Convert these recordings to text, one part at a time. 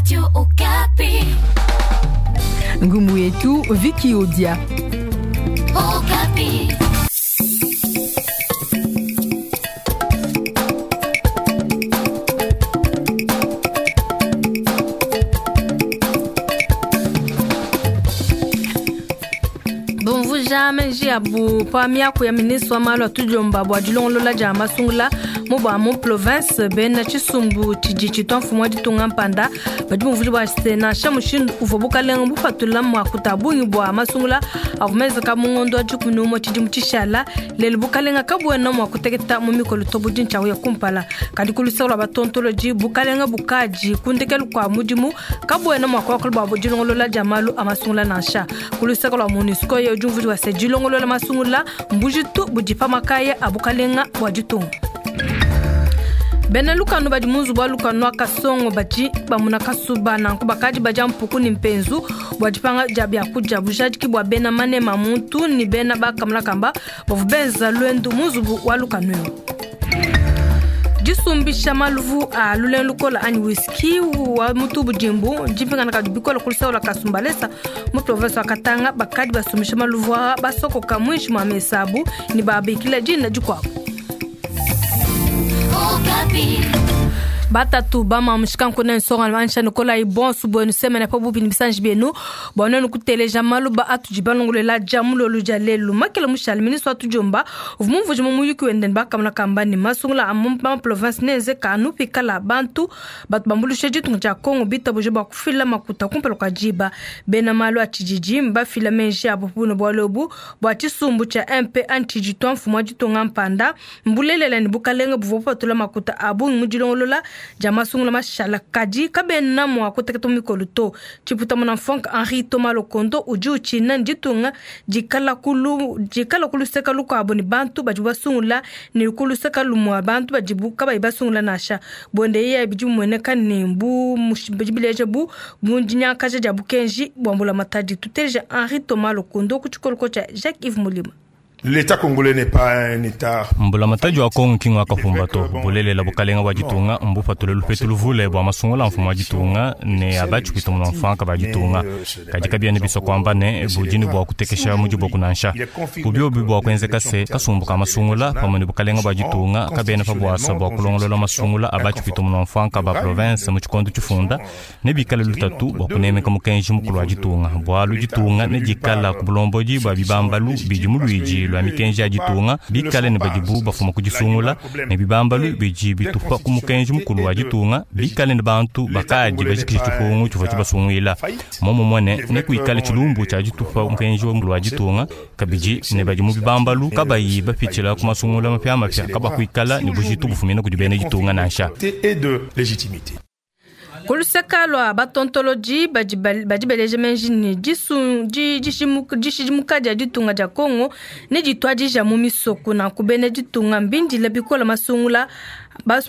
Radio Okapi. Ngumu yetu Vicky Odia. Okapi. Bomvuja meji abu pa miaku ya ministre wa malu a tudiomba bua dilongolola dia masungula mu bua mu province bena tshisumbu tshidi tshitua mfumu wa ditunga mpanda badi bumvuja bua se nansha mushindu uvua bukalenga bupatula makuta a bungi bua masungula avua menzeka mu ngondo wa 11 tshidimu tshishala lelu bukalenga kabuena mua kuteketa mu mikolo to budi ntshiawu ya kumpala kadi ku luseke lua batontolodi bukalenga bukadi ku ndekelu kua mudimu kabuena mua kuakula bua dilongolola dia malu a masungula nansha ku luseke lua MONUSCO ye udi umvuija bua se dilongolola masungula mbujitu budi pa makaya a bukalenga bua ditunga. Bena lukanu badi mu nzubu wa lukanu wa Kasongo badi bamuna kasuba nanku bakadi badia mpuku ne mpenzu bua dipanga dia biakudia bujadiki bua bena manema a muntu ne bena bakamuna kamba bavua benza luendu mu nzubu wa lukanu eu. Disumbisha maluvu a lulengu lukola anyi whisky wa mutu budimbu dipingana kadi bikola ku luseke lua Kasumbalesa mu province wa Katanga bakadi basumbisha maluvu aa basokoka muinshi mua mesa abu ne babikila dina dikuabu. Batatu bama mushikanku ne nsonga mansha nikolayi bonso buenu semene pa bubi ne bisanji bienu bua nuenu kuteleja maluba atudi balongolola dia mulolu dia lelu makela mushale ministre wa tudiomba uvua mumvuije mu muyuki wende ne bakamona kamba ne masungula a mu province neenzeka anu pikala bantu batu bambuluisha ditunga dia Congo bitabuje bua kufila makuta kumpala kua diba. Bena malu a tshididi mbafila meji abu pa buno bualu ebu bua tshisumbu tshia MP anyi tshiditua mfumu wa ditunga mpanda mbulelela ne bukalenga buvua bupatula makuta a bungi mu dilongolola dia masungula mashala kadi kabena mua kuteketa mu mikolo to. Tshiputa muna Franck Henri Thomas Lokondo udi utshina ne ditunga dikala ku luseka lukuabu ne bantu badibu basungula ne ku luseka lumue bantu badibu kabayi basungula nansha. Buende yeye bidi bimueneka ne bu bidi bileja bu dinyankaja dia bukenji bua mbulamatadi. Tuteleja Henri Thomas Lokondo ku tshikoloko tshia Jacques-Yves Mulima. L'État congolais n'est pas un État. Mbulamatadi wa Kongo ki ngwakafumba to bulelela bukalenga bua ditunga mbupatule lupetu luvule bua masungula a mfumu wa ditunga ne a batshipwita munamfuanka ba ditunga. Kadi kabiena bisua kuamba ne budi ne bua kutekesha mu diboku nansha. Bubiobi bua kuenzeka se kasumbu ka masungula pamue ne bukalenga bua ditunga kabena pa buasa bua kulongolola masungula a batshipwita munamfuanka ba province mu tshikondo tshifunda ne bikale lutatu bua kunemeka mukenji mukulu wa ditunga bualu ditunga ne dikala ku bulombodi bua bibambalu bidi mu luidi lua mikenji ya ditunga bikale ne badibu bafuma ku disungula ne bibambalu bidi bitupa ku mukenji mukulu wa ditunga bikale ne bantu bakadi bajikije tshipungu tshivua tshibasunguila momumue ne nekuikale tshilumbu tshia ditupa mukenji mukulu wa ditunga kabidi ne badi mu bibambalu kabayi bapitshila ku masungula mapiamapia kabakuikala ne bujitu bufumina kudi bena ditunga nansha. Et de légitimité. Ku luseka lua batontolodi badi badi beleja meji ne dishidimuka dia ditunga dia Congo ne dituadija mu misoko nanku bena ditunga mbindile bikola masungula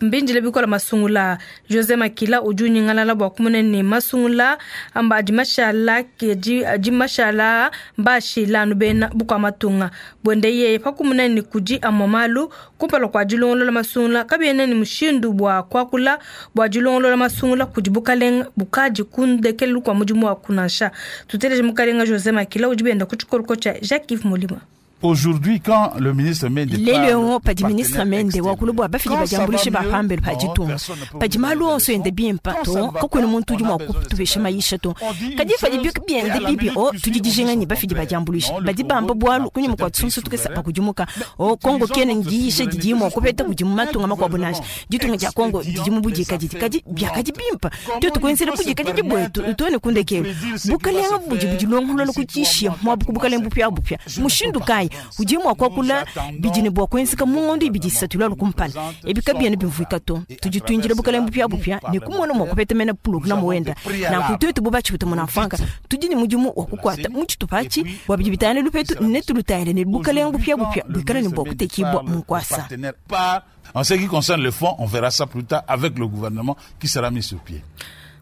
mbindile bikola masungula. Jose Makila udi unyingalala bua kumona ne masungula amba adi mashala adi mashala mbashila anu bena bukua matunga buende yeye pa kumona ne kudi amua malu kumpala kua dilongolola masungula kabiena ne mushindu bua kuakula bua dilongolola masungula kudi bukalenga bukadi ku ndekelu kua mudimu wa kunansha. Tuteleje mukalenga Jose Makila udi benda ku tshikoloko tshia Jacques-Yves Mulima. Aujourd'hui, quand le ministre Mende lelo padi ministre Mende wakulu bua bafidi badiambulishe bapambelo pa ditunga padi malu onso ende bimpe to kakuena muntu udi mua kutupesha mayisha to kadi padi biende bibi o tudi dijinga ne bafidi badiambulishe badi bamba bualu kunyima kua tsunsu tukesa pakudimuka o Kongo kena ndiyisha didi mua kupeta kudi mu matunga makuabu nansha ditunga dia Kongo didi mu budikadidi kadi biakadi bimpe tuetu kuenzela budikadidi buetu tuone kundekelu bukalenga budi budilongolola kutishia muabu bukalenga bupia bupia mushindu kayi udi mua kuakula bidi ne bua kuenzeka mu ngondo ibidi isatu lwalu kumpala ebi kabiena bimvuika to tudi tuindila bukalenga bupia bupia ne kumona mua kupeta mena pulogulamu wenda nanku tuetu bo batshipita munamfanka tudi ne mudimu wa kukuata mu tshitupa atshi bua bidi bitangila lupetu ne tulutangile ne bukalenga bupia bupia buikale ne bua kutekibua mu nkuasa. En ce qui concerne le fonds, on verra ça plus tard avec le gouvernement qui sera mis sur pied.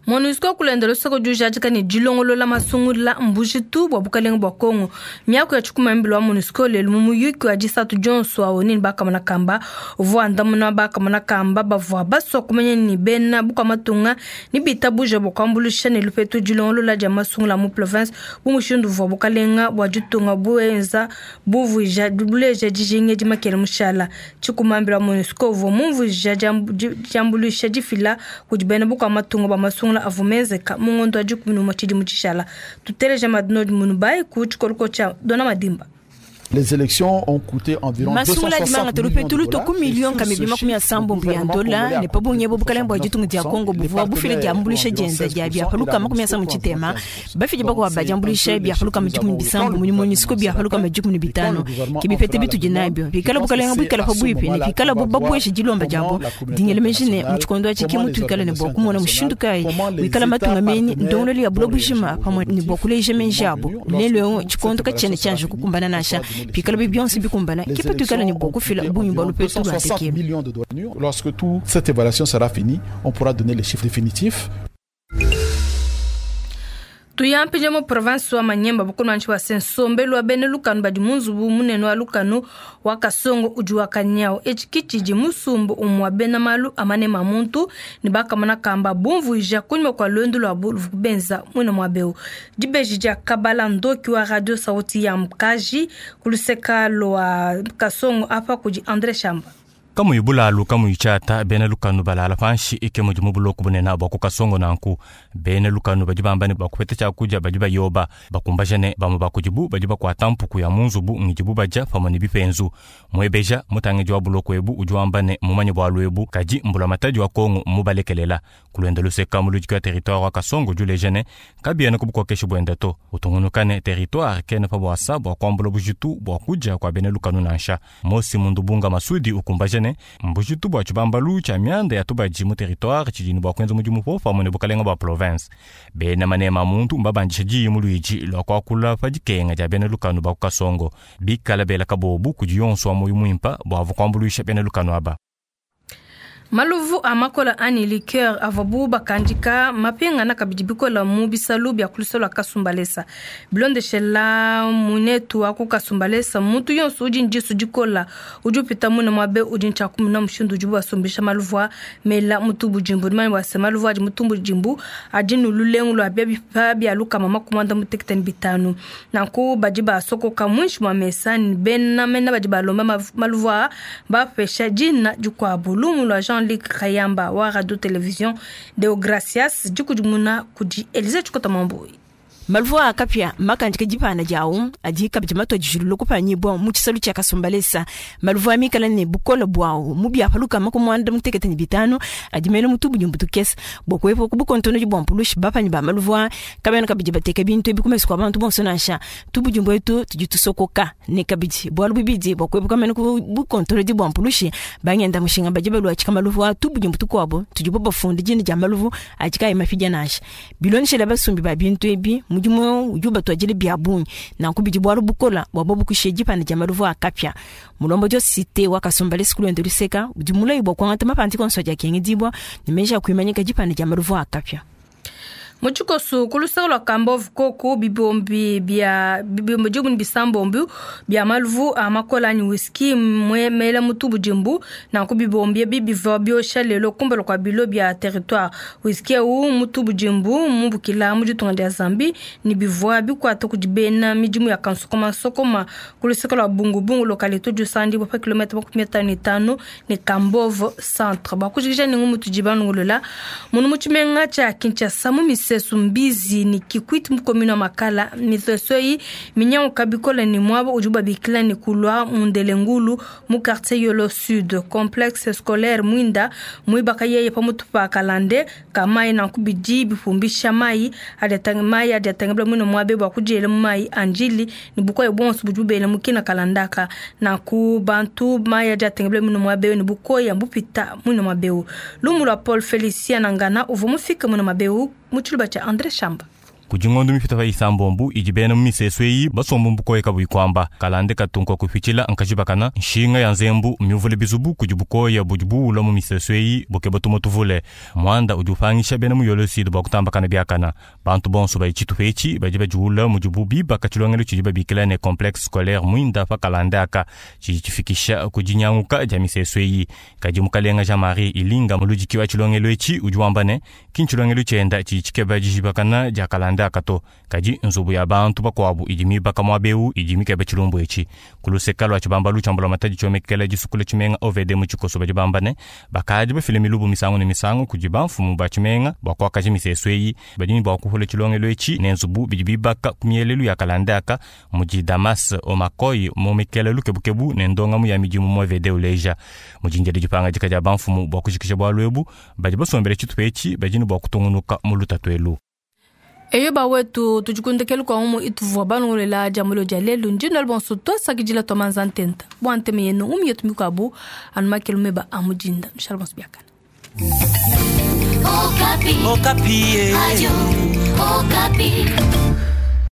MONUSCO kulenda lusoko diujadika ne dilongolola masungula mbujitu bua bukalenga bua Kongo. Miaku ya tshikumambilo wa MONUSCO lelu mu muyuki wa disatu dionso awo nini bakamona kamba uvua andamuna bakamona kamba bavua basua kumanya ni bena bukua matunga ni bitabuja bua kuambuluisha ne lupetu dilongolola dia masungula mu province bu mushindu uvua bukalenga bua ditunga buenza buvuija buleja dijinga dimakele mushala. Tshikumambilo wa MONUSCO uvua mumvuija diambuluisha difila kudi bena bukua matunga bua masungula avumezeka mungondo wa 11 tshidimu tshishala. Tuteleja madinodi munubai ku tshikoloko tshia Dona Madimba. Les élections ont coûté environ masungula 260 dimanga millions de tolupetulu dollars. toku million kamibili makumi asambo ya dola ne pabunye bo bukalenga bua ditunga dia Kongo buvua bufile diambuluisha dienda dia biapaluka makumi asambo tshitema bafidi bakua badiambuluisha biapaluka majikumi bisambo muni MONUSCO biapaluka majikumi bitano ke bipete bitudi nabio bikala bukalenga buikala pabuipi ne bikala bo babuesha dilomba diabo dingele menjine mu tshikondo atshi ke mutu ikala ne bua kumona mushindu kayi wikala matunga meni ndongololo ya bulo bujima pamue ne bua kuleja menji abo lelo eu tshikondo katshiena tshianji kukumbana nansha pikala bibionso bikumbana Les kipa tuikala ne élections bua ont kufila coûté bungi bua environ lupetu lua 260 ndekelu. millions de dollars. Lorsque toute cette évaluation sera finie, on pourra donner les chiffres définitifs. Tuyampije mu province wa Manyemba bukulmanshi wa sensombelu wa bene lukanu badi munzubu munene wa lukanu wa Kasongo udi wa Kanyao. Etshi kitshidi musumbu umwa bena malu amane mamuntu ne bakamona kamba bumvuija kunyima kwa lwendu lwabu luvukubenza mwina mwa beu. Dibeji dia Kabala Ndoki wa Radio Sauti ya Mkaji kuluseka lwa Kasongo apa kudi André Shamba. Kamuyi bulalu kamuyi tshata bena lukanu balala panshi ike mudi mu buloku bunene bua ku Kasongo nanku. Bena lukanu badi bamba ne bakupeta tshiakudia badi bayoba bakumbaja ne bamue bakudibu badi bakuata mpuku ya munzubu ngidibu badia pamue ne bipenzu. Muebeja mutangidi wa buloku ebu udi wamba ne mumanye bualu ebu kadi mbulamatadi wa Kongo mubalekelela. Kulwenda luseka muludiki wa territoire wa Kasongo udi uleja ne kabiena ku bukokeshi buende to. Utungunuka ne territoire kena pa buasa bua kuambula bujitu bua kudia kua bena lukanu nansha. Mosi Mundubunga Masudi ukumbaja ne mbujitu bua tshibambalu tshia mianda ya tubadi mu territoire tshidi ne bua kuenza mudimu po pamue ne bukalenga bua province. Bena manema muntu mbabandisha diyi mu luidi lua kuakula pa dikenga dia bena lukanu ba ku Kasongo. Bikala bela kabobu kudi yonso wa moyo muimpa bua ava kuambuluisha bena lukanu aba. Maluvu a makola ani liqueur avabu bakandika mapingana kabidi bikola mu bisalu bia kulusolo lua Kasumbalesa. Bilondeshela munetu wa ku Kasumbalesa muntu yonso udi ndisu dikola udi upita mune mwabe udi ntshakumuna mushindu udi basumbisha maluvu a mela mutubu jimbu mani wase maluvu adi mutumbu jimbu adi nululengu lua bia bipa bia lukama makumanda mutekete bitanu. Nanku badi basokoka mwinshi mwa mesa ni bena mena badi balomba maluvu a bapesha dina dikuabu. Lumu lua Jean Luc Kayamba wa Radio Télévision Deo Gracias dikudimuna kudi Elise Chikota Mambui. Maluvu a kapya makandika dipana diawu adi kabidi matwa dijulu kupanyibwa mu tshisalu tshia Kasumbalesa. Maluvu a mikala ne bukola bwawu mu biapaluka makumwanda mutekete ne bitano adi mene mutubu nyumbu tukesa bua kuepo ku bukontono bua mpulushi bapanyi ba maluvu a kabena kabidi bateka bintu ebi kumesu kua bantu bonso nansha tubujumbu etu tudi tusokoka ne kabidi bualu bubidi bua kuepuka mene ku bukontono bua mpulushi bangenda mushinga badi balua tshika maluvu a tubujumbu tukuabu tudi bo bafunda dina dia maluvu adi kayi mapidya nansha biloneshela basumbi ba bintu ebi mudimu udi ubatuadile bia bungi nanku bidi bualu bukola bua bobu kushiya dipanda dia maluvu a kapya. Mulombo dio cité wa Kasumbalesa kulwendo luseka udi mulayi bua kuangata mapanti konso adi akengedibwa ne meji a kuimanyika dipanda dia maluvu a kapya. Mu tshikosu ku luseke lua Kambove koku bibombi bia bibombi dikumi bisambombi bia maluvu a makola anyi whisky mela mutubu jimbu nanku bibombi ebi bivua biosha lelo kumpala kua bilo bia territoire. Whisky ewu mutubu jimbu mubukila mu ditunga dia Zambie ne bivua bikuata kudi bena midimu ya kansokoma sokoma ku luseke lua Bungubungu localité diusandibua pa kilomètre 55 ne Kambove centre. Bua kujikija ningu mutudi banungulula munu mu tshimenga tshia Kinshasa mu misesu Mbizi ni Kikwit mu commune wa Makala misesu eyi minyanguka bikole ne muaba udi babikila ne kulwa Mundelengulu mu quartier Yolo Sud complexe scolaire Mwinda muibaka yeye pamutu pa Kalande kamayi nanku bidi bipumbisha mayi adi atangibula mwine muabe bua kudiela mu mayi anjili ne bukoya bonso budi bubela mu kina kalandaka nanku bantu mayi adi atangibula mwine muabe ne bukoya mbupita mwine muabeu. Lumu lua Paul Felicien Nangana uvua mufike mwine muabeu mu tshiluba tshia André Shamba. Kudi ngondo mipite pa isambombo idi bena mu misesu eyi basomba mu bukoya kabuyi kuamba. Kalande katu nkua kupitshila nkajibakana nshinga ya nzembu miuvule bizubu kudi bukoya budi buula mu misesu eyi bukeba tumue tuvule. Muanda udi upangisha bena mu Yolo Sud bua kutambakana biakana. Bantu bonso badi tshitupa etshi badi badiula mudibu bibaka tshilongelu tshidi babikila ne complexe scolaire muinda pa kalande aka tshidi tshifikisha ku dinyanguka dia misesu eyi. Kadi mukalenga Jean-Marie Ilinga muludiki wa tshilongelu etshi udi wamba ne ki ntshilongelu tshienda tshidi tshikeba dijibakana dia kalande aka to, kadi nzubu ya bantu bakuabu idi mibaka muaba eu idi mikeba tshilumbu etshi. Ku luseka lua tshibambalu tshia mbulamatadi tshiomekela disukula tshimenga OVD mu tshikoso badi bamba ne bakadi bafile milubu misangu ne misangu kudi bamfumu ba tshimenga bua kuakaja misesu eyi. Badi ne bua kuhula tshilongelu etshi ne nzubu bidi bibaka ku mielelu ya kalande aka mudi Damas Omakoy momekela lukebukebu ne ndongamu ya midimu mu OVD uleja. Mujinjela dipangadika dia bamfumu bua kujikija bualu ebu, badi basombele tshitupa etshi badi ne bua kutungunuka mu lutatu elu. Eyo bawetu, tudikundekelu kwa umu ituvua balongolela dia mulio dia lelu. Ndino bonso twasakidila twa manza ntenta bua nteme yenu umi yetu mikuabu anu makelu meba a mudinda mishala bonso biakana. Okapi. Okapi. Radio Okapi.